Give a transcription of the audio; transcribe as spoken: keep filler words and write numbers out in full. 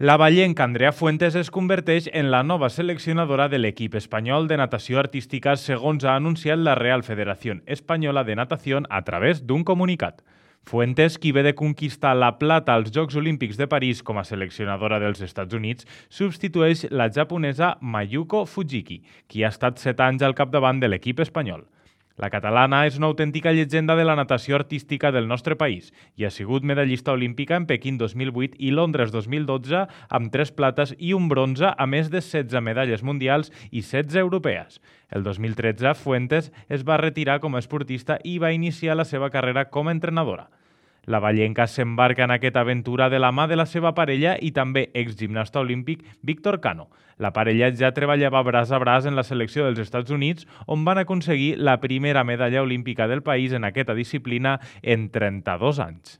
La vallenca Andrea Fuentes es converteix en la nova seleccionadora de l'equip espanyol de natació artística, segons ha anunciat la Real Federación Española de Natación a través d'un comunicat. Fuentes, qui ve de conquistar la plata als Jocs Olímpics de París com a seleccionadora dels Estats Units, substitueix la japonesa Mayuko Fujiki, qui ha estat set anys al capdavant de l'equip espanyol. La catalana és una autèntica llegenda de la natació artística del nostre país i ha sigut medallista olímpica en Pequín dos mil vuit i Londres dos mil dotze amb tres plates i un bronze, a més de setze medalles mundials i setze europees. El dos mil tretze, Fuentes es va retirar com a esportista i va iniciar la seva carrera com a entrenadora. La vallenca s'embarca en aquesta aventura de la mà de la seva parella i també exgimnasta olímpic Víctor Cano. La parella ja treballava braç a braç en la selecció dels Estats Units, on van aconseguir la primera medalla olímpica del país en aquesta disciplina en trenta-dos anys.